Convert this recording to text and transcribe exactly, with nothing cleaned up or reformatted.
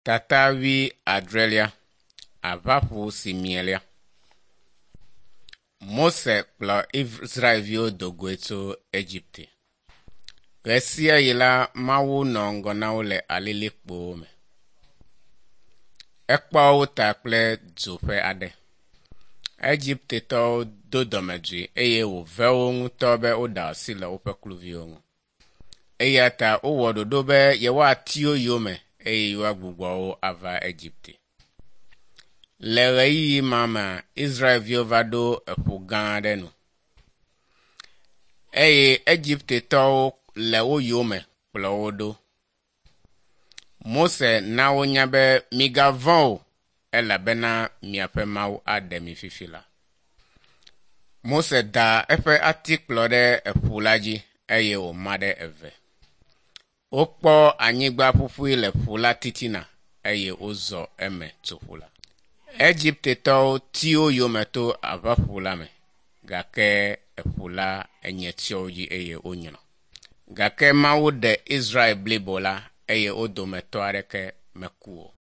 Tata wuiadrelia, Aʋaƒu si mie. Mose kplɔ Israelviwo do goe tso Egipte. Ʋe sia ɣi la Mawu nɔ ŋgɔ na wo le alilikpo me. Ekpɔ wo ta kple dzo ƒe aɖe. Egiptetɔwo do dɔmedzoe eye wòve wo ŋutɔ be woɖe asi le woƒe kluviwo ŋu. Eya ta wowɔ ɖoɖo be yewoati wo yome eye yewoagbugbɔ wo ava Egipte. Le ʋeyiʋi ma mea, Israelviwo va ɖo eƒu gã aɖe nu eye Egiptetɔwo le wo yome kplɔ wo ɖo. Mose na wonya be migavɔ̃ o elabena miaƒe Mawu aɖe mi fifi la. Mose da eƒe atikplɔ ɖe eƒu la dzi eye wòma ɖe eve. Wokpɔ anyigba ƒuƒui le ƒu la titina eye wozɔ eme tso ƒu la. Egiptetɔwo ti wo yome to Aʋaƒu la me gake eƒu la enye tsyɔ wo dzi eye wonyrɔ. Gake Mawu ɖe Israel blibo la eye wo dometɔ aɖeke meku o.